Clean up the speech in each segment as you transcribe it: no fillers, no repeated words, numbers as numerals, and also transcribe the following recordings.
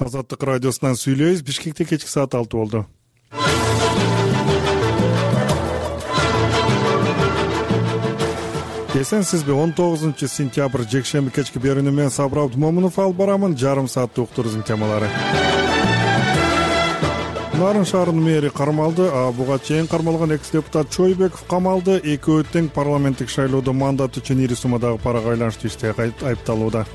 Азаттык радиосунан сүйлөйбүз. Бишкекте кечки саат 6 болду. Эсенсизби? 19-сентябрь жекшемби кечки берүүнү мен Сабыр Абдумомунов алып барамын. Жарым сааттык уктурубуздун темалары. Нарын шаарынын мэри кармалды. Буга чейин кармалган экс-депутат Чойбеков камалды. Экөө тең парламенттик шайлоодо мандат үчүн ири суммадагы парага айланыштуу иште айыпталууда.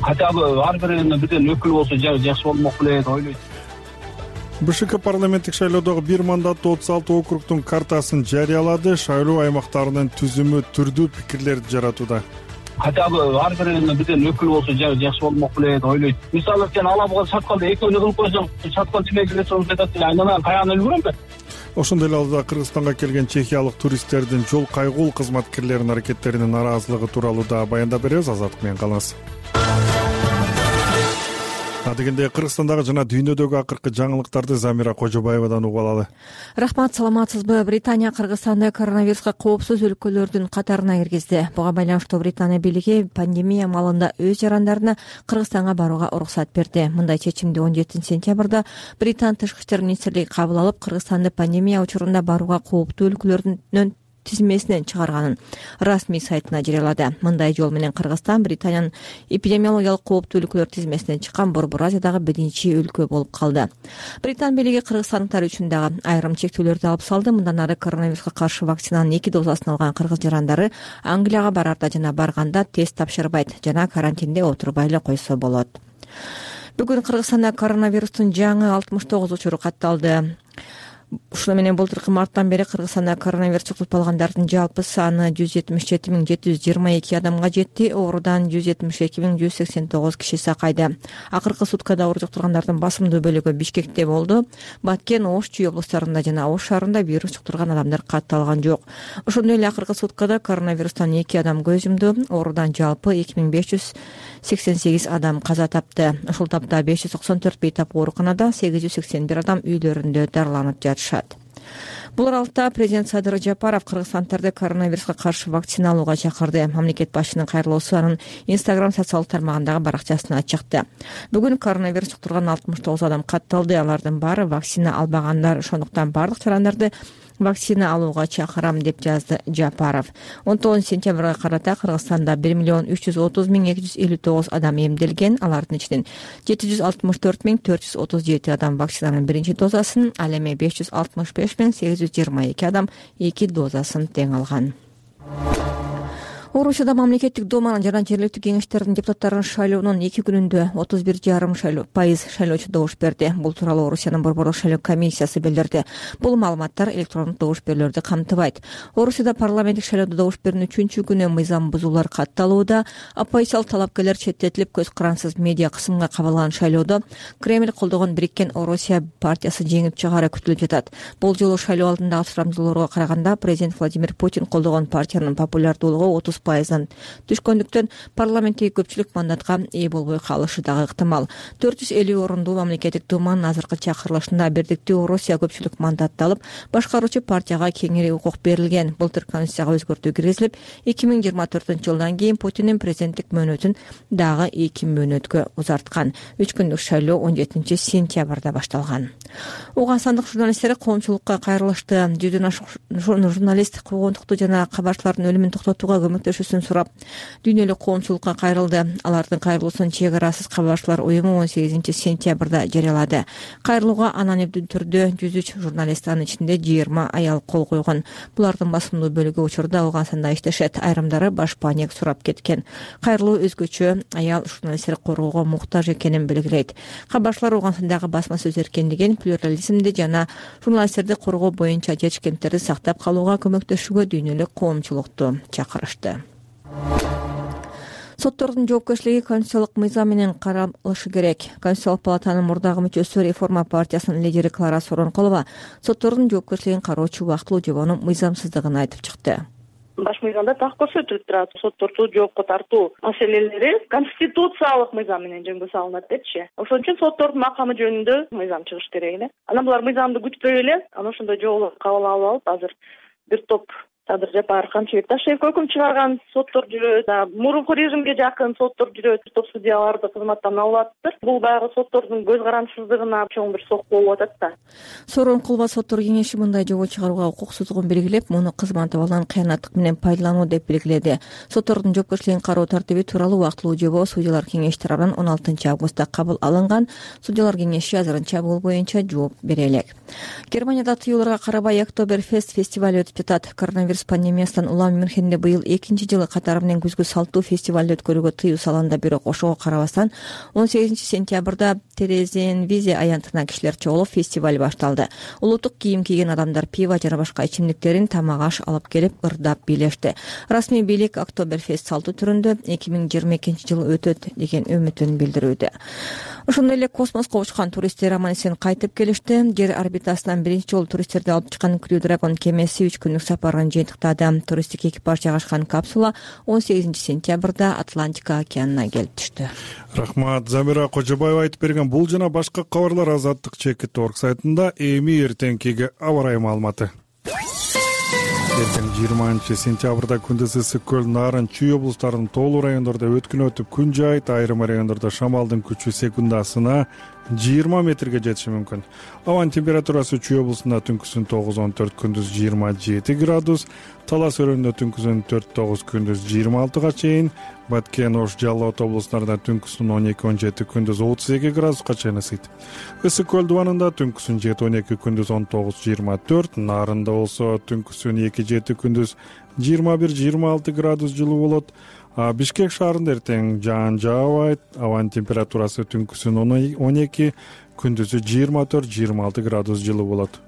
Хотя бы ар биринин бирден өкүл болсо жакшы болмок беле деп ойлойт. БШК парламенттик шайлоодогу бир мандаттуу 36 округдун картасын жарыялады. Шайлоо аймактарынын түзүмү түрдүү пикирлерди жаратууда. Хотя бы ар биринин бирден өкүл болсо жакшы болмок беле деп ойлойт. Мисалы сен алабыга чатканда экөөнү кылып койсоң, чаткан тимекиле соң айтат эле, айнанан каяган өлгөрөм бе? Ошондой эле алда Кыргызстанга келген чехиялык туристтердин жол кайгул кызматкерлеринин аракеттеринин нараазылыгы тууралуу да баяндап беребиз. Азаттык менен калыңыз. Дегенде Кыргызстандагы жана дүйнөдөгү акыркы жаңылыктарды Замира Кожобаевадан угуп алалы. Рахмат, саламатсызбы? Британия Кыргызстанды коронавируска коопсуз өлкөлөрдүн катарына киргизди. Буга байланыштуу Британия бийлиги пандемия маалында өз жарандарына Кыргызстанга барууга уруксат берди. Мындай чечимди 17-сентябрда Британ тышкы иштер министрлиги кабыл алып, Кыргызстанды пандемия учурунда барууга кооптуу өлкөлөрдүн тизмесинен чыгарганын расмий сайтына жарыялады. Мындай жол менен Кыргызстан Британиянын эпидемиологиялык кооптуу өлкөлөр тизмесинен чыккан Борбор Азиядагы биринчи өлкө болуп калды. Британ бийлиги кыргызстандыктар үчүн дагы айрым чектөөлөрдү алып салды. Мындан ары коронавируска каршы вакцинанын 2 дозасын алган кыргыз жарандары Англияга барарда жана барганда тест тапшырбайт жана карантинде отурбай эле койсо болот. Бүгүн Кыргызстанда коронавирустун жаңы 69 учуру катталды. Ушуну менен былтыркы марттан бери Кыргызстанда коронавирус жуктурулгандардын жалпы саны 177.722 адамга жетти. Оорудан 172.189 киши сакайды. Акыркы суткада оору жуктургандардын басымдуу бөлүгү Бишкекте болду. Баткен, Ош, Чүй облустарында жана Ош шаарында вирус жуктурган адамдар катталган жок. Ошондой эле акыркы суткада коронавирустан 2 адам көз жумду. Оорудан жалпы 2588 адам каза тапты. Ушул тапта 594 бейтап ооруканада, 881 адам үйлөрүндө дарыланып жатышат. Бул аралыкта президент Садыр Жапаров кыргызстандарды коронавируска каршы вакцина алууга чакырды. Мамлекет башчынын кайрылуусу анын Instagram социалдык тармагындагы баракчасына чыкты. Бүгүн коронавирус жуктурган 69 адам катталды. Алардын баары вакцина албагандар. Ошондуктан бардык жарандарды вакцина алууга чакырам деп жазды Жапаров. 19-сентябрга карата Кыргызстанда 1.330.259 адам эмделген. Алардын ичинен 764.437 адам вакцинанын биринчи дозасын, ал эми 565.822 адам 2 дозасын тең алган. Орусияда мамлекеттик думанын жана жергиликтүү кеңештердин депутаттарын шайлоонун 2 күнүндө 31,5% шайлоочу добуш берди. Бул тууралуу Орусиянын борборлук шайлоо комиссиясы билдирди. Бул маалыматтар электрондук добуш берүүлөрдү камтыбайт. Орусияда парламенттик шайлоодо добуш берүүнүн 3-чү күнү мыйзам бузуулар катталууда. Оппозициялык талапкерлер четтетилип, көз карансыз медиа кысымга кабылган шайлоодо Кремль колдогон Бириккен Орусия партиясы жеңип чыгаары күтүлүп жатат. Бул жолу шайлоо алдындагы сурамжылоолорго караганда президент Владимир Путин колдогон партиянын популярдуулугу 30%дан түшкөндүктөн парламенттеги көпчүлүк мандатка ээ болбой калышы дагы ыктымал. 450 орундуу мамлекеттик думанын азыркы чакырылышында Бирдиктүү Орусия көпчүлүк мандатты алып, башкаруучу партияга кеңири укук берилген. Былтыр конституцияга өзгөртүү киргизилип, 2024-жылдан кийин Путиндин президенттик мөөнөтүн дагы 2 мөөнөткө узарткан. 3 күндүк шайлоо 17-сентябрда башталган. Уганстандык журналисттер коомчулукка кайрылышты. 100дөн ашык журналист куугунтукту жана кабарчылардын өлүмүн токтотууга көмөктөшүүсүн сурап, дүйнөлүк коомчулукка кайрылды. Алардын кайрылуусун Чек арасыз кабарчылар уюму 18-сентябрда жарыялады. Кайрылууга анонимдүү түрдө 103 журналист, анын ичинде 20 аял кол койгон. Булардын басымдуу бөлүгү учурда Ауганстанда иштешет. Айрымдары башпаанек сурап кеткен. Кайрылуу өзгөчө аял журналисттер коргоого муктаж экенин белгилейт. Кабарчылар Ауганстандагы басма сөз эркиндигин, плюрализмди жана журналисттерди коргоо боюнча чечкентерди сактап калууга көмөктөшүүгө дүйнөлүк коомчулукту чакырышты. Соттордун жоопкерчилиги конституциялык мыйзам менен каралышы керек. Конституциялык палатанын мурдагы мүчөсү Реформа партиясынын лидери Клара Соронкулова соттордун жоопкерчилигин кароочу убактылуу жобонун мыйзамсыздыгын айтып чыкты. Баш мыйзамда так көрсөтүлүп турат, сотторду жоопко тартуу маселелери конституциялык мыйзам менен жөнгө салынат депчи. Ошон үчүн соттордун макамы жөнүндө мыйзам чыгыш керек эле. Анан булар мыйзамды күтпөй эле, анан ошондой жоболорду кабыл алып азыр бир топ Садыр Жапаров, Камчыбек Ташиевке өкүм чыгарган соттор жүрөт. Мурунку режимге жакын соттор жүрөт. Топ судьяларды кызматтан алып атыптыр. Бул баягы соттордун көз карандысыздыгына чоң бир сок болуп атат да. Сорун кылба соттор кеңеши мындай жобо чыгарууга укуксуздугун белгилеп, муну кызматып алган кыянаттык менен пайдалануу деп белгиледи. Соттордун жоопкерчилигин кароо тартиби тууралуу убактылуу жобо судьялар кеңеши тарабынан 16 августта кабыл алынган. Судьялар кеңеши азырынча бул боюнча жооп бере элек. Германияда тыюуларга карабай Октоберфест фестиваль өтүп жатат. Коронавирус пандемиясынан улам Мюнхенде быйыл 2-жылы катары менен күзгү салтуу фестивалды өткөрүүгө тыюу салынды. Бирок ошого карабастан 18 сентябрда Терезенвизе аянтына кишилер чогулуп фестиваль башталды. Улуттук кийим кийген адамдар пиво жана башка ичимдиктерин тамак аш алып келип ырдап бийлешти. Расмий бийлик Октоберфест салтуу түрүндө 2022-жылы өтөт деген үмүтүн билдирүүдө. Ошондой эле космоско учкан туристтер аман-эсен кайтып келишти. Жер орбитасынан биринчи жолу туристтерди алып чыккан Crew Dragon кемеси 3 күндүк сапарын жыйынтыктады. Туристтик экипаж жайгашкан капсула 18 сентябрда Атлантика океанына келип түштү. Рахмат. Замира Кожобаева айтып берген бул жана башка кабарлар Азаттык Чекит.org сайтында. Эми эртеңкиге аба ырайы маалыматы. Эртең 20 сентябрда күндүз ысык көл, Нарын, Чүй облустарынын тоолуу райондордо өткүн өтүп күн жайыт, айрым райондордо шамалдын күчү секундасына 20 метрге жетиши мүмкүн. Абанын температурасы Чүй облусунда түнкүсүн 9-14, күндүз 27 градус, Талас өрөөнүндө түнкүсүн 4-9, күндүз 26 чейин, Баткен, Ош, Жалал Ата облустарында түнкүсүн 12-17, күндүз 32 градуска чейин ысыйт. Ысык көл дубанында түнкүсүн 7-12, күндүз 19-24, Нарында болсо түнкүсүн 2-7, күндүз 21-26 градус жылуу болот. Бишкек шаарында эртең жаан жаабайт, абанын температурасы түнкүсүн 12, күндүзү 24-26 градус жылуу болот.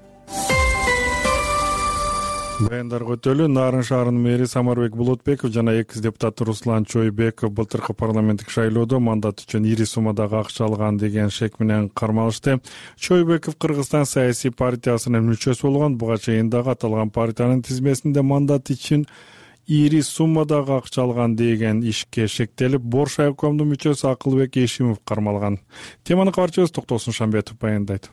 Баяндарга өтөлү. Нарын шаарынын мэри Самарбек Болотбеков жана экс депутат Руслан Чойбеков былтыркы парламенттик шайлоодо мандат үчүн ири суммадагы акча алган деген шек менен кармалышты. Чойбеков Кыргызстан саясий партиясынын мүчөсү болгон. Буга чейин дагы аталган партиянын тизмесинде мандат үчүн ири суммадагы акча алган деген ишке шектелип, Борш айкомдун мүчөсү Акылбек Эшимов кармалган. Теманы кабарчыбыз Токтосун Шамбетов баяндайт.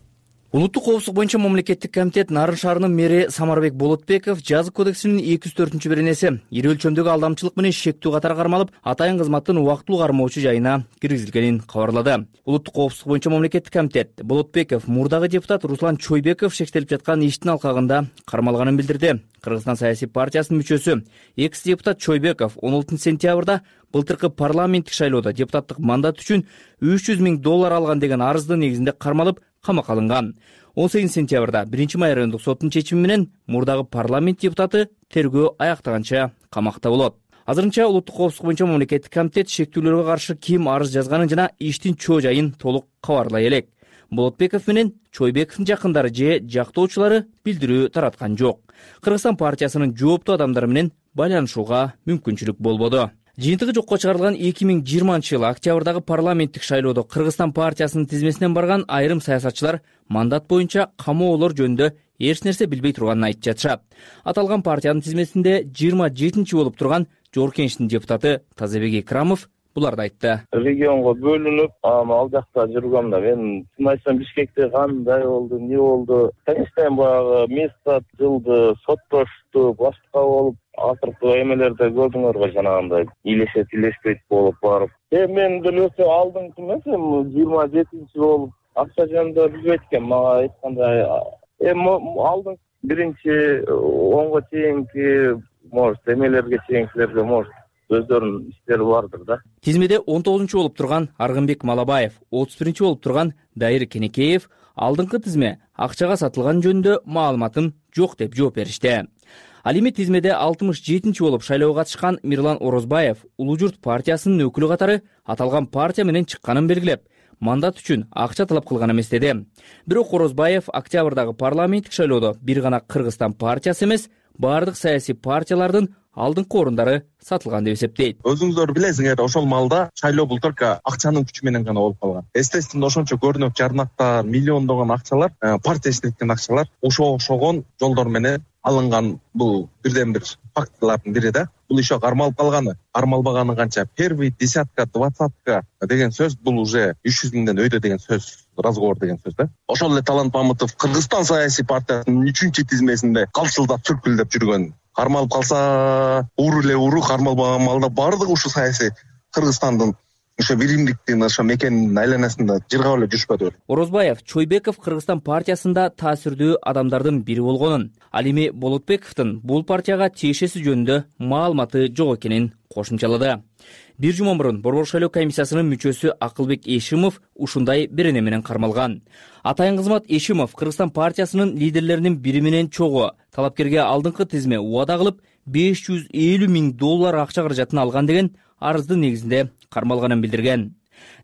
Улуттук коопсуздук боюнча мамлекеттик комитет Нарын шаарынын мэри Самарбек Болотбеков жазык кодексинин 204-беренеси ири өлчөмдөгү алдамчылык менен шектүү катары кармалып, атайын кызматтын убактылуу кармоочу жайына киргизилгенин кабарлады. Улуттук коопсуздук боюнча мамлекеттик комитет Болотбеков мурдагы депутат Руслан Чойбеков шектелип жаткан иштин алкагында кармалганын билдирди. Кыргызстан саясий партиясынын мүчөсү экс депутат Чойбеков 16 сентябрда былтыркы парламенттик шайлоодо депутаттык мандат үчүн $300 000 алган деген арыздын негизинде кармалып камакка алынган. 18 сентябрда 1-Май райондук соттун чечими менен мурдагы парламент депутаты тергөө аяктаганча камакта болот. Азырынча улуттук коопсуздук боюнча мамлекеттик комитет шектүүлөргө каршы ким арыз жазганын жана иштин чоо жайын толук кабарлай элек. Болотбеков менен Чойбековдун жакындары же жактоочулары билдирүү тараткан жок. Кыргызстан партиясынын жооптуу адамдары менен байланышууга мүмкүнчүлүк болбоду. Жыйынтыгы жокко чыгарылган 2020-жылы октябрдагы парламенттик шайлоодо Кыргызстан партиясынын тизмесинен барган айрым саясатчылар мандат боюнча камоолор жөнүндө эч нерсе билбей турганын айтып жатышат. Аталган партиянын тизмесинде 27-чи болуп турган Жогорку Кеңештин депутаты Тазабек Икрамов буларды айтты. Регионго бөлүнүп, ал жакта жүргөм да. Мен чын айтсам Бишкекте кандай болду, эмне болду? Конечно, баягы место жылды, соттошту, башка болуп, акыркы эмелерде көрдүңөрбү жанагындай илешет болуп барып. Мен деле өсө алдыңкы эмес, 27-чи болуп акча жөнүндө билбейт экен, мага айткандай. Алдың биринчи онго чейинки может эмелерге чейинкилерге может өздөрүнүн иштери бардыр да. Тизмеде 19-чу болуп турган Аргынбек Малабаев, 31-чи болуп турган Дайыр Кенекеев алдыңкы тизме акчага сатылган жөнүндө маалыматым жок деп жооп беришти. Ал эми тизмеде 67-чи болуп шайлоого катышкан Мирлан Орозбаев Улуу Журт партиясынын өкүлү катары аталган партия менен чыкканын белгилеп, мандат үчүн акча талап кылган эмес деди. Бирок Орозбаев октябрдагы парламенттик шайлоодо бир гана Кыргызстан партиясы эмес, бардык саясий партиялардын алдыңкы орундары сатылган деп эсептейт. Өзүңүздөр билесиңер, ошол малда шайлоо былтыркы акчанын күчү менен гана болуп калган. Естественно, ошончо көрүнөк жарнактар, миллиондогон акчалар, партия иштеткен акчалар ошого окшогон жолдор менен алынган. Бул бирден бир фактылардын бири да. Бул ишо кармалып калганы, кармалбаганы канча? Первый десятка, двадцатка деген сөз бул уже 300 миңден өйдө деген сөз, разговор деген сөз да. Ошол эле Талант Мамытов Кыргызстан саясий партиясынын 3-чү тизмесинде калчылдап, сүркүлдөп жүргөн кармалып калса эле кармалбаган маалда баардыгы ушу саясий Кыргызстандын ошо биримдиктин ошо мекенинин айланасында жыргап эле жүрүшпөдүбү? Орозбаев Чойбеков Кыргызстан партиясында таасирдүү адамдардын бири болгонун, ал эми Болотбековдун бул партияга тиешеси жөнүндө маалыматы жок экенин кошумчалады. Бир жума мурун Борбор шайлоо комиссиясынын мүчөсү Акылбек Эшимов ушундай берене менен кармалган. Атайын кызмат Эшимов Кыргызстан партиясынын лидерлеринин бири менен чогуу талапкерге алдыңкы тизме убада кылып $550 000 акча каражатын алган деген арыздын негизинде кармалганын билдирген.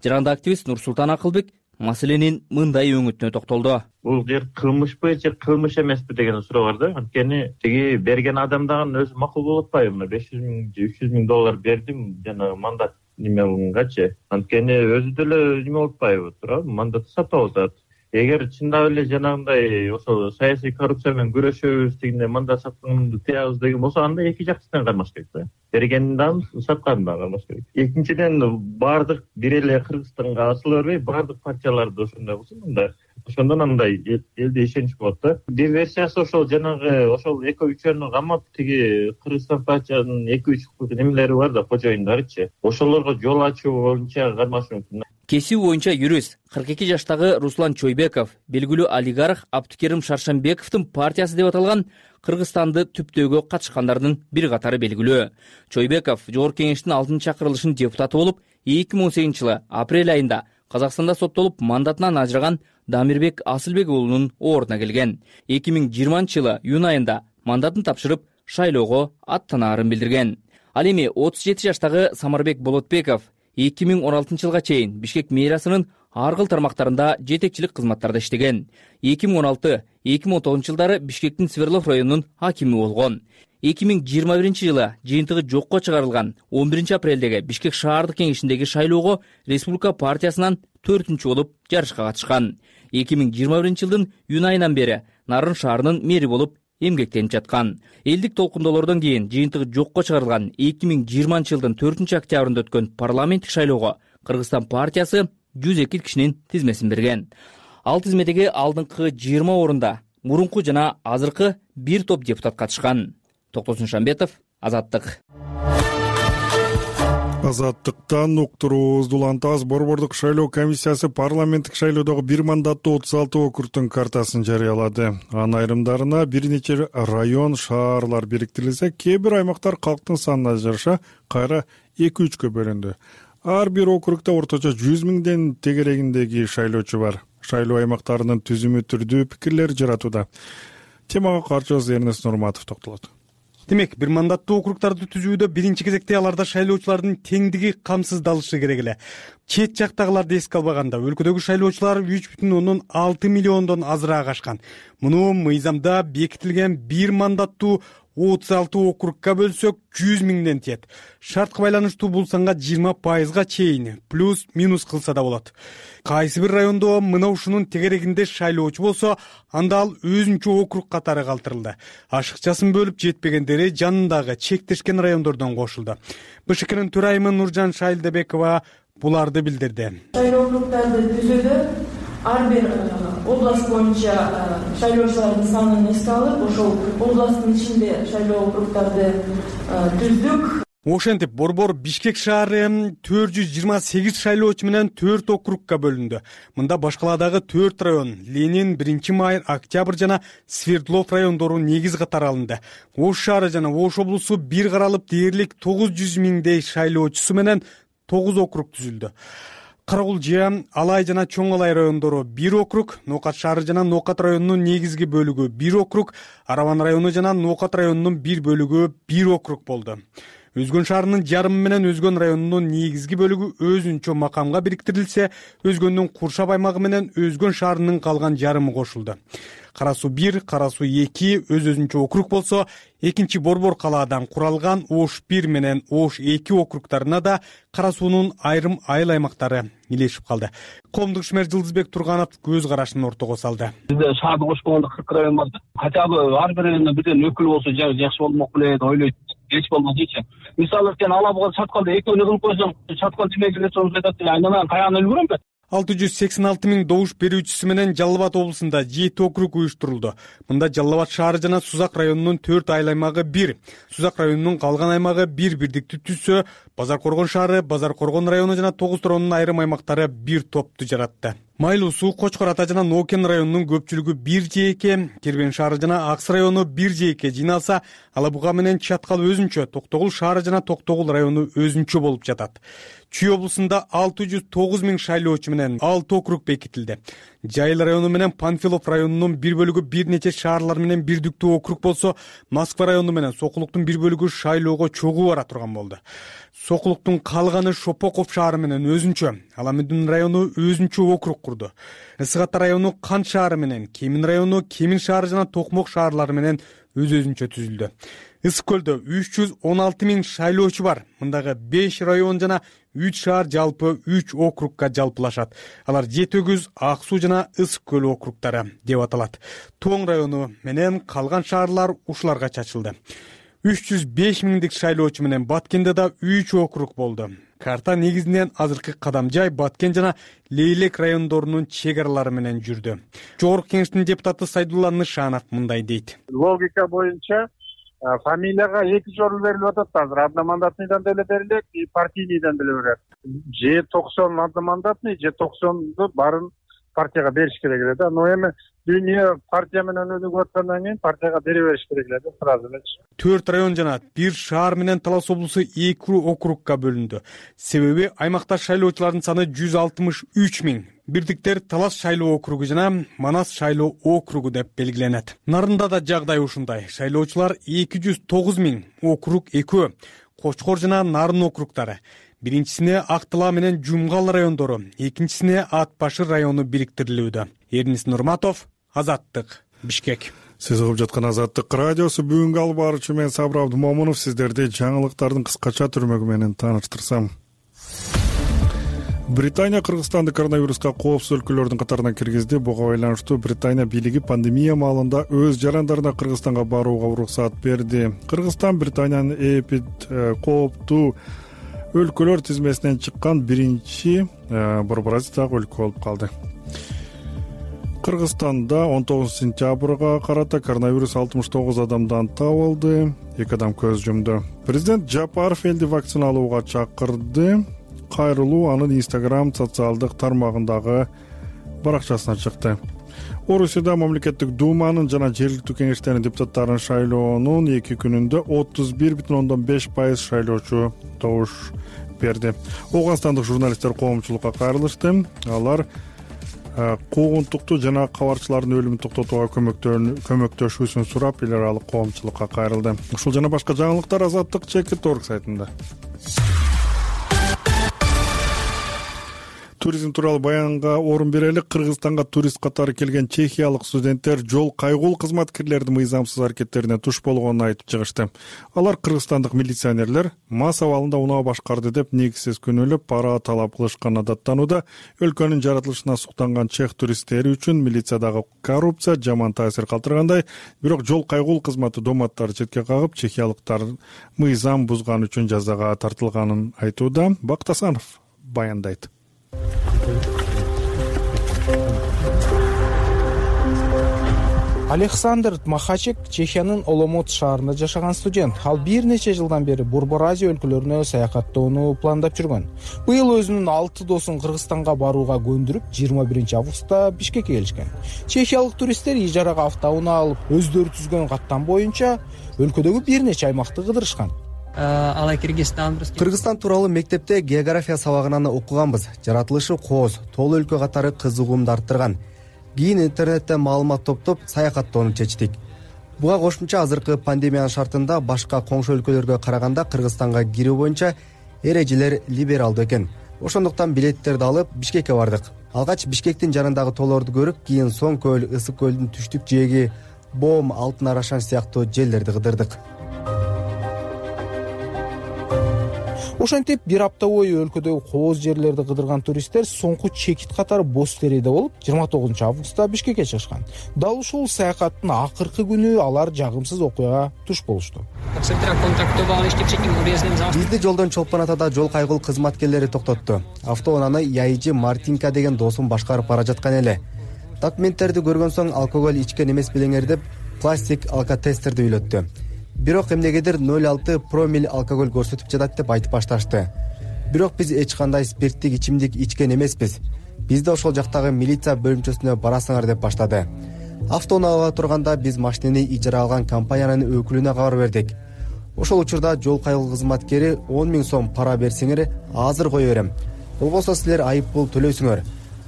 Жаранда активист Нурсултан Акылбек маселенин мындай өңүтүнө токтолду. Бул жер кылмышпы же кылмыш эмеспи деген суроо бар да. Анткени тиги берген адамдагы өзү макул болуп атпайбы? $500 000 же $300 000 бердим жана мандат немегачы. Анткени өзү деле неме болуп атпайбы, туурабы? Мандатты сатып атат. Эгер чындап эле жанагындай ошол саясий коррупция менен күрөшөбүз дегенде мандат сатканды тыябыз деген болсо, анда эки жактан кармаш керек да. Бергенин дагы сатканын дагы кармаш керек. Экинчиден баардык бир эле Кыргызстанга асыла бербей, баардык партияларды ошондой болсо, мында ошондон андай элде ишенич болот да. Бир версиясы ошол жанагы ошол эко-үчөрүнү камап, тиги Кыргызстан партиянын 2-3 немелери бар да, кожоюндарычы. Ошолорго жол ачуу боюнча кармашы мүмкүн. Кесиби боюнча юрист 42 жаштагы Руслан Чойбеков белгилүү олигарх Абдыкерим Шаршанбековдун партиясы деп аталган Кыргызстанды түптөөгө катышкандардын бир катары белгилүү. Чойбеков Жогорку Кеңештин 6-чакырылышынын депутаты болуп, 2018 жылы апрель айында Казакстанда соттолуп мандатынан ажыраган Дамирбек Асылбек уулунун ордуна келген. 2020 жылы июнь айында мандатын тапшырып, шайлоого аттанаарын билдирген. Ал эми 37 жаштагы Самарбек Болотбеков 2016 жылга чейин Бишкек мэриасынын ар кыл тармактарында жетекчилик кызматтарда иштеген. 2016-2019 жылдары Бишкектин Сверлов районунун акими болгон. 2021 жылы жыйынтыгы жокко чыгарылган 11 апрелдеги Бишкек шаардык кеңешиндеги шайлоого Республика партиясынан 4-чү болуп жарышка катышкан. 2021 жылдын июнь айынан бери Нарын шаарынын мэри болуп эмгектенип жаткан. Элдик толкундоолордон кийин жыйынтыгы жокко чыгарылган 2020 жылдын 4 октябрында өткөн парламенттик шайлоого Кыргызстан партиясы 102 кишинин тизмесин берген. Ал тизмедеги алдыңкы 20 орунда мурунку жана азыркы бир топ депутат катышкан. Токтосун Шамбетов, Азаттык. Азаттыктан уктуруубузду улантабыз. Борбордук шайлоо комиссиясы парламенттик шайлоодогу бир мандаттуу 36 округдун картасын жарыялады. Анын айрымдарына бир нече район, шаарлар бириктирилсе, кээ бир аймактар калктын санына жараша кайра 2-3кө бөлүндү. Ар бир округда орточо 100 000ден тегерегиндеги шайлоочу бар. Шайлоо аймактарынын түзүмү түрдүү пикирлер жаратууда. Темага карчыбыз Эрнест Нурматов токтолот. Демек, бир мандаттуу округдарды түзүүдө биринчи кезекте аларда шайлоочулардын теңдиги камсыздалышы керек эле. Чет жактагыларды эске албаганда, өлкөдөгү шайлоочулар 3,6 миллиондон азыраак ашкан. Муну мыйзамда бекитилген бир мандаттуу 36 округга бөлсөк 100 000ден тиет. Шартка байланыштуу бул санга 20% чейин плюс-минус кылса да болот. Кайсы бир райондо мына ушунун тегерегинде шайлоочу болсо, анда ал өзүнчө округ катары калтырылды. Ашыкчасын бөлүп жетпегендери жанындагы чектешкен райондордон кошулду. БШКнын төрайымы Нуржан Шайлдебекова буларды билдирди. Шайлоо округдарды түзүүдө ар бир область боюнча шайлоочулардын санын эске алып, ошол областтын ичинде шайлоо округдарды түздүк. Ошентип Борбор Бишкек шаары 428 шайлоочу менен 4 округга бөлүндү. Мында башкаладагы 4 район Ленин, 1-Май, Октябрь жана Свердлов райондору негиз катары алынды. Ош шаары жана Ош облусу бир каралып дээрлик 900 000дей шайлоочусу менен 9 округ түзүлдү. Карагулжия, Алай жана Чоң Алай райондору 1 округ, Нокат шаары жана Нокат районунун негизги бөлүгү 1 округ, Араван району жана Нокат районунун бир бөлүгү 1 округ болду. Өзгөн шаарынын жарымы менен Өзгөн районунун негизги бөлүгү өзүнчө макамга бириктирилсе, Өзгөндүн Куршап аймагы менен Өзгөн шаарынын калган жарымы кошулду. Кара Суу 1, Кара Суу 2 өз-өзүнчө округ болсо, экинчи Борбор калаадан куралган Ош 1 менен Ош 2 округдарына да Кара Суунун айрым айыл аймактары илешип калды. Коомдук ишмер Жылдызбек Турганов көз карашын ортого салды. Бизде шаарды кошпогондо 40 район бар. Хотя бы ар бир райондон бирден өкүл болсо жакшы болмок белет, ойлойт. Эч болмосучу. Мисалы сен алабыга чатканда экөөнү кылып койсоң, чаткан тимеги эле айтат, айнанан каян өлгөрөм да. 686 000 добуш берүүчүсү менен Жалал Абад облусунда 7 округ уюштурулду. Мында Жалал Абад шаары жана Сузак районунун 4 айыл аймагы 1, Сузак районунун калган аймагы 1 бирдикти түзсө, Базар Коргон шаары, Базар Коргон району жана Тогуз Торонун айрым аймактары 1 топту жаратты. Майлуу Суу, Кочкор Ата жана Нокен районунун көпчүлүгү 1 жээкке, Кербен шаары жана Акс району 1 жээкке жыйналса, Ала Буга менен Чаткал өзүнчө, Токтогул шаары жана Токтогул району өзүнчө болуп жатат. Чүй облусунда 609 000 шайлоочу менен 6 округ бекитилди. Жайыл району менен Панфилов районунун бир бөлүгү бир нече шаарлар менен бирдиктүү округ болсо, Москва району менен Сокулуктун бир бөлүгү шайлоого чогуу бара турган болду. Сокулуктун калганы Шопоков шаары менен өзүнчө, Аламедин району өзүнчө округ курду. Ысык Ата району Кант шаары менен, Кемин району Кемин шаары жана Токмок шаарлары менен өзүнчө түзүлдү. Ысык Көлдө 316 000 шайлоочу бар. Мындагы 5 район жана 3 шаар жалпы 3 округга жалпылашат. Алар Жети Өгүз, Ак Суу жана Ысык Көл округдары деп аталат. Тоң району менен калган шаарлар ушуларга чачылды. 305 000 шайлоочу менен Баткенде да 3 округ болду. Карта негизинен азыркы Кадамжай, Баткен жана Лейлек райондорунун чек аралары менен жүрдү. Жогорку кеңештин депутаты Сайдулла Нышанов мындай дейт. Логика боюнча фамилияга 2 жолу берилип атат азыр. Одномандатныйдан деле берилет, партийнийден деле берилет. Же 90 одномандатный, же 90ду баарын партияга бериш керек эле да. Но эми дүйнө партия менен өнүгүп аткандан кийин партияга бере бериш керек эле да, сразу эле. 4 район жана 1 шаар менен Талас облусу 2 округга бөлүндү. Себеби аймакта шайлоочулардын саны 163 000. Бирдиктер Талас шайлоо округу жана Манас шайлоо округу деп белгиленет. Нарында да жагдай ушундай. Шайлоочулар 209 000, округ 2, Кочкор жана Нарын округдары. Биринчисине Актыла менен Жумгал райондору, экинчисине Ат Башыр району бириктирилүүдө. Эрнис Нурматов, Азаттык, Бишкек. Сиз угуп жаткан Азаттык радиосу. Бүгүнкү алып баруучу мен Сабыр Абдымомунов сиздерди жаңылыктардын кыскача түрмөгү менен тааныштырсам. Британия Кыргызстанды коронавируска коопсуз өлкөлөрдүн катарына киргизди. Буга байланыштуу Британия бийлиги пандемия маалында өз жарандарына Кыргызстанга барууга уруксат берди. Кыргызстан Британиянын эпид кооптуу өлкөлөр тизмесинен чыккан биринчи Борборазиядагы өлкө болуп калды. Кыргызстанда 19 сентябрга карата коронавирус 69 адамдан табылды, 2 адам көз жумду. Президент Жапаров элди вакциналууга чакырды. Кайрылуу анын Instagram социалдык тармагындагы баракчасына чыкты. Орусияда мамлекеттик думанын жана жергиликтүү кеңештердин депутаттарын шайлоонун 2 күнүндө 31,5% шайлоочу добуш берди. Ооганстандык журналисттер коомчулукка кайрылышты. Алар куугунтукту жана кабарчылардын өлүмүн токтотууга көмөктөшүүсүн сурап, эл аралык коомчулукка кайрылды. Ушул жана башка жаңылыктар Азаттык.org сайтында. Туризм тууралуу баянга орун берели. Кыргызстанга турист катары келген чехиялык студенттер жол кайгул кызматкерлердин мыйзамсыз аракеттерине туш болгонун айтып чыгышты. Алар кыргызстандык милиционерлер мас абалында унаа башкарды деп негизсиз күнөөлөп пара талап кылышканына даттанууда. Өлкөнүн жаратылышына суктанган чех туристтери үчүн милициядагы коррупция жаман таасир калтыргандай, бирок жол кайгул кызматы доматтары четке кагып, чехиялыктар мыйзам бузган үчүн жазага тартылганын айтууда. Бактасанов баяндайт. Александр Махачек Чехиянын Оломот шаарында жашаган студент. Ал бир нече жылдан бери Борбор Азия өлкөлөрүнө саякаттоону пландап жүргөн. Быйыл өзүнүн 6 досун Кыргызстанга барууга көндүрүп, 21 августта Бишкекке келишкен. Чехиялык туристтер ижарага автоунаа алып, өздөрү түзгөн каттам боюнча өлкөдөгү бир нече аймакты кыдырышкан. Кыргызстан тууралуу мектепте география сабагынан окуганбыз. Жаратылышы кооз, тоол өлкө катары кызыгуумду арттырган. Кийин интернеттен маалымат топтоп саякаттоону чечтик. Буга кошумча азыркы пандемиянын шартында башка коңшу өлкөлөргө караганда Кыргызстанга кирүү боюнча эрежелер либералдуу экен. Ошондуктан билеттерди алып Бишкекке бардык. Алгач Бишкектин жанындагы тоолорду көрүп, кийин Соң көл, Ысык көлдүн түштүк жээги, Бом, Алтын Арашан сыяктуу жерлерди кыдырдык. Ошентип бир апта бою өлкөдөгү кооз жерлерди кыдырган туристтер соңку чекит катары Бостерийде болуп, 29 августта Бишкекке чыгышкан. Дал ушул саякаттын акыркы күнү алар жагымсыз окуяга туш болушту. Бизди жолдон Чолпон Атада жол кайгыл кызматкерлери токтотту. Автоунааны Яйжи Мартинка деген досум башкарып бара жаткан эле. Документтерди көргөн соң алкоголь ичкен эмес белеңер деп пластик алкотестерди үйлөттү. Бирок эмнегедир 0,6 промил алкоголь көрсөтүп жатат деп айтып башташты. Бирок биз эч кандай спирттик ичимдик ичкен эмеспиз. Бизди ошол жактагы милиция бөлүмчөсүнө барасыңар деп баштады. Автоунаага турганда биз машинени ижара алган компаниянын өкүлүнө кабар бердик. Ошол учурда жол кайгыл кызматкери 10 000 сом пара берсеңер азыр кое берем. Болбосо силер айып пул төлөйсүңөр.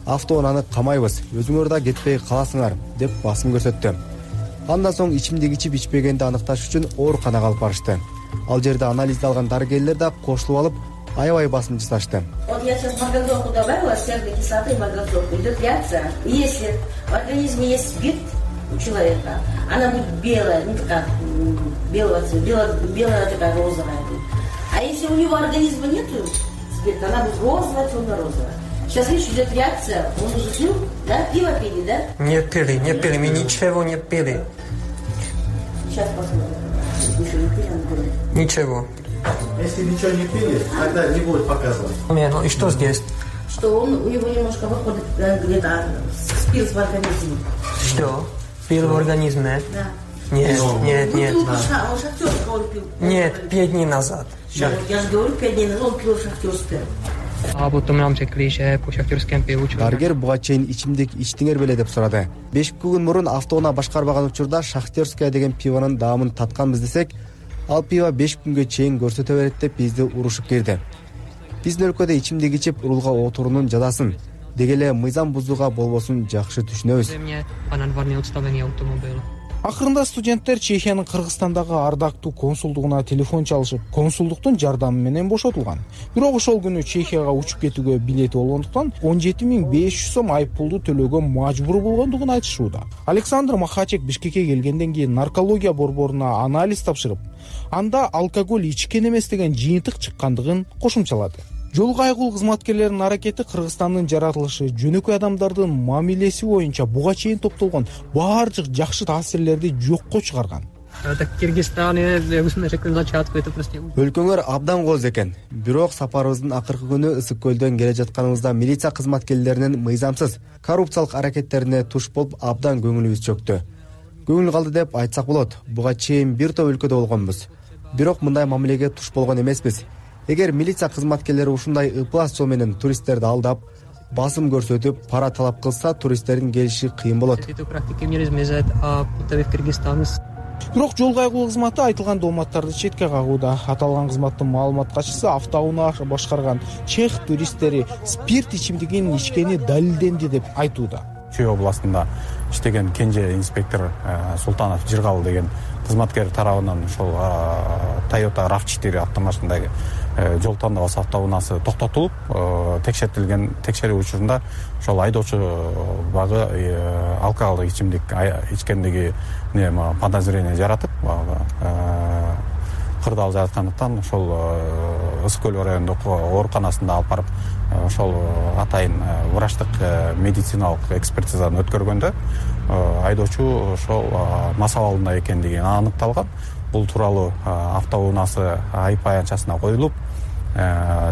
Автоунааны камайбыз, өзүңөр да кетпей каласыңар деп басым көрсөттү. Андан соң ичимдик ичип ичпегенди аныкташ үчүн ооруканага алып барышты. Ал жерде анализди алган дарыгерлер да кошулуп алып, аябай басым жасашты. Вот я сейчас марганцовку добавила, серной кислоты марганцовку, идет реакция. Если в организме есть спирт у человека, она будет белая, ну такая, белая такая розовая. А если у него организма нету спирта, она будет розовая, темно-розовая. Сейчас, видишь, идет реакция, он уже пил, да? Пиво пили, да? Не пили, мы ничего не пили. Сейчас посмотрим. Еще не пили, он говорит. Ничего. Если ничего не пили, тогда не будет показывать. Ну и что здесь? Что у него немножко выходит где-то спирт в организме. Что? Пил в организме? Да. Нет. Он шахтерского он пил. Нет, 5 дней назад. Вот я же говорю, 5 дней назад он пил шахтерское. Дарыгер буга чейин ичимдик ичтиңер беле деп сурады. 5 күн мурун автоунаа башкарбаган учурда Шахтерская деген пивонун даамын татканбыз десек, ал пиво 5 күнгө чейин көрсөтө берет деп бизди урушуп кирди. Биздин өлкөдө ичимдик ичип урулга отуруунун жазасын, деги эле мыйзам бузууга болбосун жакшы түшүнөбүз. Акырында студенттер Чехиянын Кыргызстандагы ардактуу консулдугуна телефон чалышып, консулдуктун жардамы менен бошотулган. Бирок ошол күнү Чехияга учуп кетүүгө билети болгондуктан 17.500 сом айып пулду төлөөгө мажбур болгондугун айтышууда. Александр Махачек Бишкекке келгенден кийин наркология борборуна анализ тапшырып, анда алкоголь ичкен эмес деген жыйынтык чыккандыгын кошумчалады. Жол кайгыл кызматкерлеринин аракети Кыргызстандын жаратылышы, жөнөкөй адамдардын мамилеси боюнча буга чейин топтолгон баардык жакшы таасирлерди жокко чыгарган. Өлкөңөр абдан кооз экен. Бирок сапарыбыздын акыркы күнү Ысык көлдөн келе жатканыбызда милиция кызматкерлеринин мыйзамсыз коррупциялык аракеттерине туш болуп абдан көңүлүбүз чөктү. Көңүл калды деп айтсак болот. Буга чейин бир топ өлкөдө болгонбуз. Бирок мындай мамилеге туш болгон эмеспиз. Эгер милиция кызматкерлери ушундай ыплас жол менен туристтерди алдап, басым көрсөтүп, пара талап кылса, туристтердин келиши кыйын болот. Бирок жол кайгыл кызматы айтылган дооматтарды четке кагууда. Аталган кызматтын маалымат катчысы автоунаа башкарган чех туристтери спирт ичимдигин ичкени далилденди деп айтууда. Чүй областында иштеген кенже инспектор Султанов Жыргал деген кызматкер тарабынан ошол Toyota RAV4 автомашинадагы жол тандабасы автоунаасы токтотулуп, текшертилген учурунда ошол айдоочу багы алкоголдук ичимдик ичкендиги подозрение жаратып, кырдаал жараткандыктан ошол Ысык көл райондук ооруканасында алып барып, ошол атайын врачтык медициналык экспертизаны өткөргөндө айдоочу ошол мас абалында экендиги аныкталган. Бул тууралуу автоунаасы айып аянтчасына коюлуп,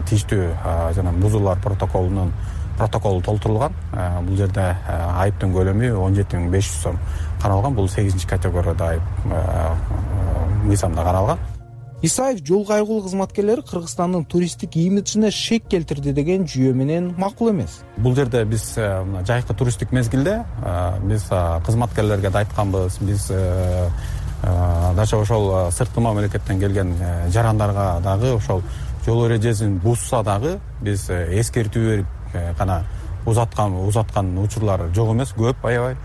тийиштүү жана бузуулар протоколу толтурулган. Бул жерде айыптын көлөмү 17.500 сом каралган. Бул 8-категорияда айып мыйзамда каралган. Исаев жол кайгыл кызматкерлери Кыргызстандын туристтик имиджине шек келтирди деген жүйө менен макул эмес. Бул жерде биз жайкы туристтик мезгилде биз кызматкерлерге да айтканбыз, биз дача ошол сырткы мамлекеттен келген жарандарга дагы ошол жол эрежесин бузса дагы биз эскертүү берип гана узаткан учурлар жок эмес, көп, аябай.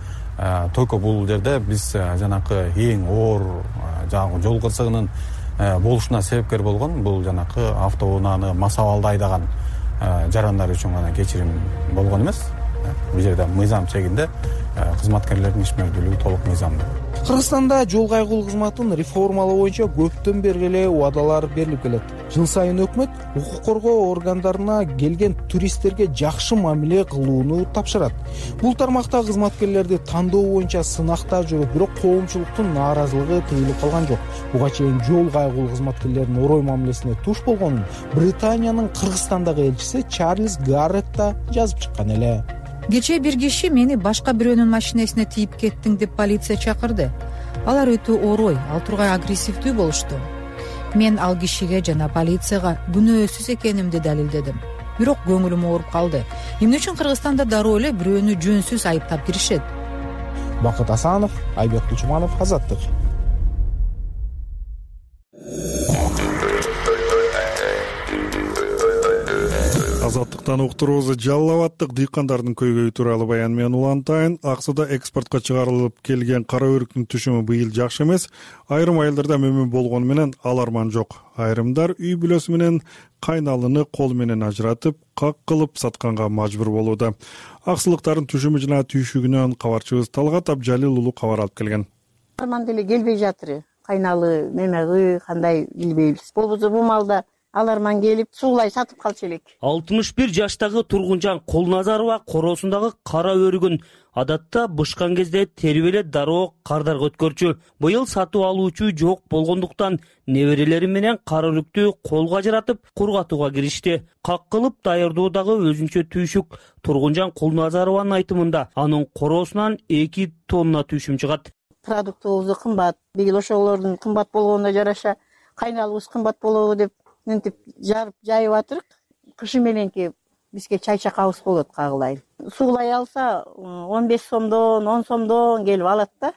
Только бул жерде биз жанакы эң оор жанагы жол кырсыгынын болушуна себепкер болгон бул жанакы автоунааны мас абалда айдаган жарандар үчүн гана кечирим болгон эмес. Бул жерде мыйзам чегинде кызматкерлердин ишмердүүлүгү толук мыйзамдуу. Кыргызстанда жол кайгыл кызматын реформалоо боюнча көптөн бери эле убадалар берилип келет. Жыл сайын өкмөт укук коргоо органдарына келген туристтерге жакшы мамиле кылууну тапшырат. Бул тармакта кызматкерлерди тандоо боюнча сынакта жүрөт, бирок коомчулуктун нааразылыгы тыйылып калган жок. Буга чейин жол кайгылуу кызматкерлердин орой мамилесине туш болгонун Британиянын Кыргызстандагы элчиси Чарльз Гаррет да жазып чыккан эле. Кечээ бир киши мени башка бирөөнүн машинесине тийип кеттиң деп полиция чакырды. Алар өтө орой, ал тургай агрессивдүү болушту. Мен ал кишиге жана полицияга күнөөсүз экенимди далилдедим. Бирок көңүлүм ооруп калды. Эмне үчүн Кыргызстанда дароо эле бирөөнү жөнсүз айыптап киришет? Бакыт Асанов, Айбек Кучманов, Азаттык. Азаттыктан уктуруубузду Жалал Абаддык дыйкандардын көйгөйү тууралуу баян менен улантайын. Аксыда экспортко чыгарылып келген кара өрүктүн түшүмү быйыл жакшы эмес. Айрым айылдарда мөмө болгону менен ал арман жок. Айрымдар үй бүлөсү менен кайналыны кол менен ажыратып, как кылып сатканга мажбур болууда. Аксылыктардын түшүмү жана түйшүгүнөн кабарчыбыз Талгат Абжалил уулу кабар алып келген. Арман деле келбей жатыр. Кайналы, мемеги кандай билбейбиз. Болбосо бул малда ал арман келип суулай сатып калчу элек. 61 жаштагы Тургунжан Колназарова коросундагы кара өрүгүн адатта бышкан кезде терип эле дароо кардарга өткөрчү. Быйыл сатып алуучу жок болгондуктан неберелери менен кара өрүктү колго ажыратып кургатууга киришти. Как кылып даярдоодагы өзүнчө түйшүк. Тургунжан Колназарованын айтымында анын коросунан 2 тонна түйшүм чыгат. Продуктыбыз кымбат. Быйыл ошолордун кымбат болгонуна жараша кайналыбыз кымбат болобу деп мынтип жарып жайып атырык. Кышы мененки бизге чай-чакабыз болот кагылайын. Суулай алса 15 сомдон, 10 сомдон келип алат да.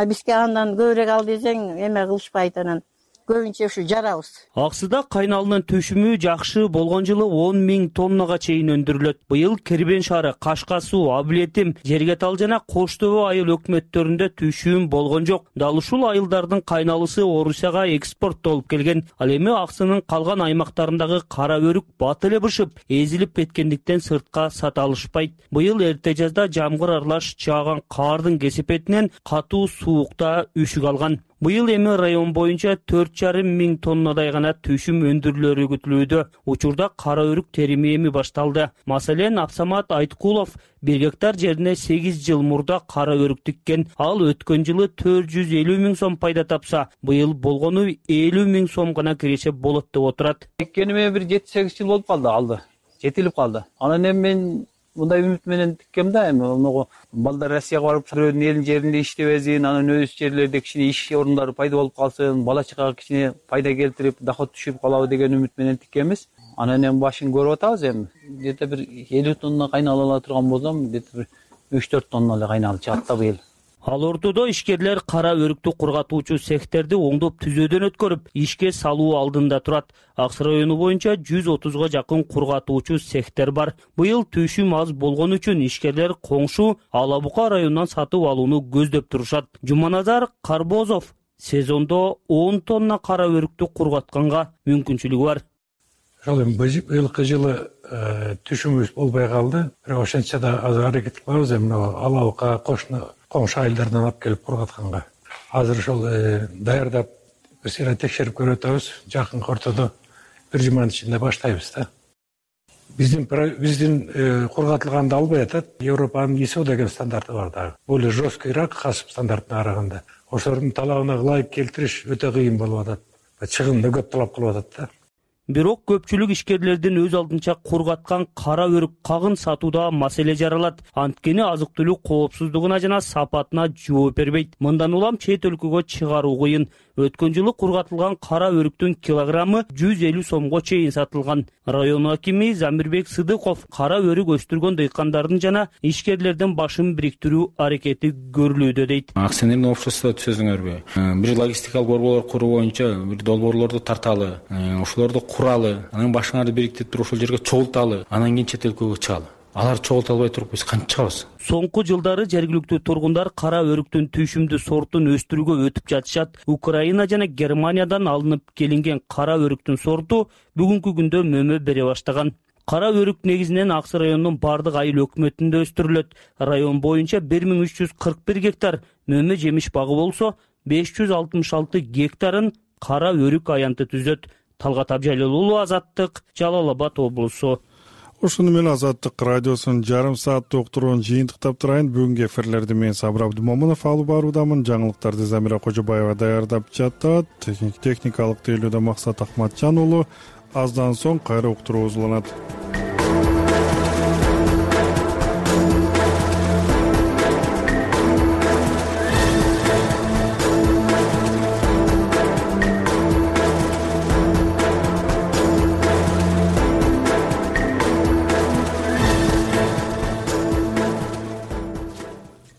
Бизге андан көбүрөөк ал десең эме кылышпайт, анан көбүнчө ушу жарабыз. Аксыда кайналынын түшүмү жакшы болгон жылы 10 000 тоннага чейин өндүрүлөт. Быйыл Кербен шаары, Кашка суу, Аблетим, Жергетал жана Кош Төбө айыл өкмөттөрүндө түшүм болгон жок. Дал ушул айылдардын кайналысы Орусияга экспорттолуп келген. Ал эми Аксынын калган аймактарындагы кара өрүк бат эле бышып, эзилип кеткендиктен сыртка сата алышпайт. Быйыл эрте жазда жамгыр аралаш жааган кардын кесепетинен катуу суукта үшүк алган. Быйыл эми район боюнча 4,5 000 тоннадай гана түшүм өндүрүлөрү күтүлүүдө. Учурда кара өрүк терими эми башталды. Маселен, Абсамат Айткулов 1 гектар жерине 8 жыл мурда кара өрүк тиккен. Ал өткөн жылы 450 000 сом пайда тапса, быйыл болгону 50 000 сом гана киреше болот деп отурат. Тиккениме бир 7-8 жыл болуп калды, алды. Жетилип калды. Анан эми мен мындай үмүт менен тиккем да, эми оного балдар Россияга барып бирөөнүн элин жеринде иштебесин, анан өз жерлерде кичине иш орундары пайда болуп калсын, бала чакага кичине пайда келтирип, доход түшүп калабы деген үмүт менен тиккенбиз. Анан эми башын көрүп атабыз эми. Где-то бир 50 тонна кайнала ала турган болсом, где-то бир 3-4 тонна эле кайналып чыгат да быйыл. Ал ортодо ишкерлер кара өрүктү кургатуучу цехтерди оңдоп түзөөдөн өткөрүп, ишке салуу алдында турат. Аксы району боюнча 130га жакын кургатуучу цехтер бар. Быйыл түшүм аз болгон үчүн ишкерлер коңшу Ала Бука районунан сатып алууну көздөп турушат. Жуманазар Карбозов сезондо 10 тонна кара өрүктү кургатканга мүмкүнчүлүгү бар. Ошол эми быйылкы жылы түшүмүбүз болбой калды. Бирок ошентсе да азыр аракет кылабыз эми Ала Бука коңшу айылдардан алып келип кургатканга. Азыр ошол даярдап бир сыйра текшерип көрүп атабыз. Жакынкы ортодо бир жуманын ичинде баштайбыз да. Биздин кургатылганды албай атат. Европанын ISO деген стандарты бар дагы. Более жесткийраак касып стандартына караганда. Ошолордун талабына ылайык келтириш өтө кыйын болуп атат. Чыгымды көп талап кылып атат да. Бирок көпчүлүк ишкерлердин өз алдынча кургаткан кара өрүк кагын сатууда маселе жаралат. Анткени азык-түлүк коопсуздугуна жана сапатына жооп бербейт. Мындан улам чет өлкөгө чыгаруу кыйын. Өткөн жылы кургатылган кара өрүктүн килограммы 150 сомго чейин сатылган. Район акими Замирбек Сыдыков кара өрүк өстүргөн дыйкандардын жана ишкерлердин башын бириктирүү аракети көрүлүүдө дейт. Акционерный общество түзөзүңөрбү? Бир логистикалык борборлор куруу боюнча бир долбоорлорду тарталы, ошолорду куралы, анан башыңарды бириктирип туруп ошол жерге чогулталы, анан кийин чет өлкөгө чыгалы. Алар чогулта албай туруп биз кантип чыгабыз? Соңку жылдары жергиликтүү тургундар кара өрүктүн түшүмдүү сортун өстүрүүгө өтүп жатышат. Украина жана Германиядан алынып келинген кара өрүктүн сорту бүгүнкү күндө мөмө бере баштаган. Кара өрүк негизинен Аксы районунун бардык айыл өкмөтүндө өстүрүлөт. Район боюнча 1341 гектар мөмө жемиш багы болсо, 566 гектарын кара өрүк аянты түзөт. Талгат Абжалил уулу, Азаттык, Жалал Абад облусу. Ушуну менен Азаттык радиосунун жарым сааттык уктуруун жыйынтыктап турайын. Бүгүнкү эфирлерди мен Сабыр Абдымомунов алып баруудамын. Жаңылыктарды Замира Кожобаева даярдап жатат. Техникалык тейлөөдө Максат Акматжан уулу. Аздан соң кайра уктуруу уланат.